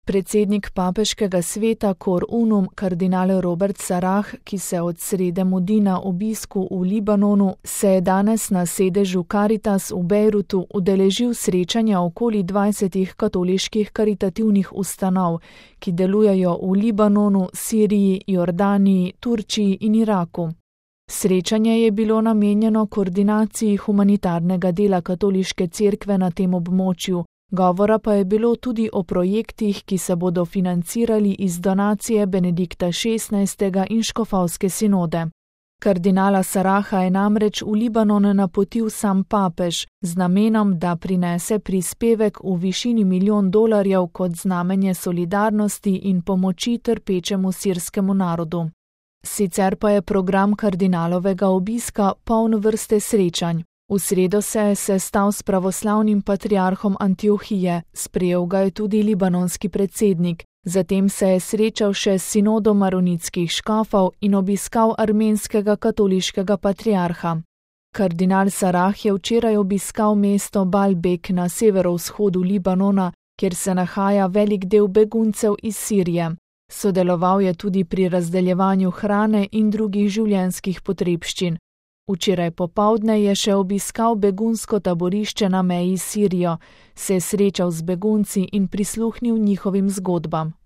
Predsednik papeškega sveta Cor Unum, kardinal Robert Sarah, ki se od srede mudi na obisku v Libanonu, se je danes na sedežu Caritas v Bejrutu udeležil srečanja okoli 20 katoliških karitativnih ustanov, ki delujejo v Libanonu, Siriji, Jordaniji, Turčiji in Iraku. Srečanje je bilo namenjeno koordinaciji humanitarnega dela katoliške cerkve na tem območju. Govora pa je bilo tudi o projektih, ki se bodo financirali iz donacije Benedikta XVI. In škofovske sinode. Kardinala Saraha je namreč v Libanon napotil sam papež z namenom, da prinese prispevek v višini $1 milijon kot znamenje solidarnosti in pomoči trpečemu sirskemu narodu. Sicer pa je program kardinalovega obiska poln vrste srečanj. V sredo se je sestal s pravoslavnim patriarhom Antiohije, sprejel ga je tudi libanonski predsednik, zatem se je srečal še s sinodom maronitskih škofov in obiskal armenskega katoliškega patriarha. Kardinal Sarah je včeraj obiskal mesto Baalbek na severovzhodu Libanona, kjer se nahaja velik del beguncev iz Sirije. Sodeloval je tudi pri razdeljevanju hrane in drugih življenjskih potrebščin. Včeraj popoldne je še obiskal begunsko taborišče na meji s Sirijo, se srečal z begunci in prisluhnil njihovim zgodbam.